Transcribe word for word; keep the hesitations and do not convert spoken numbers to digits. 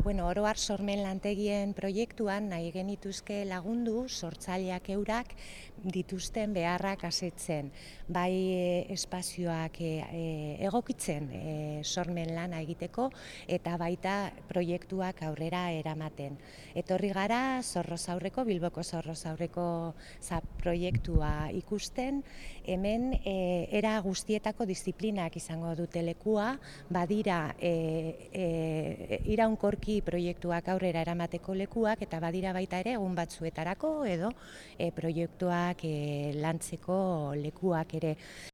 bueno, oro har sormen lantegien proiektuan nahi genituzke lagundu sortzaileak eurak dituzten beharrak asetzen, bai e, espazioak e, e, egokitzen e, sormen lana egiteko eta baita proiektuak aurrera eramaten. Etorri gara Zorrozaurreko, Bilboko Zorrozaurreko za proiektua ikusten, hemen e, era guztietako disiplinak izango dute lekua, badira e, e, iraunkorki proiektuak aurrera eramateko lekuak eta badira baita ere egun batzuetarako edo e, proiektuak e, lantzeko lekuak ere.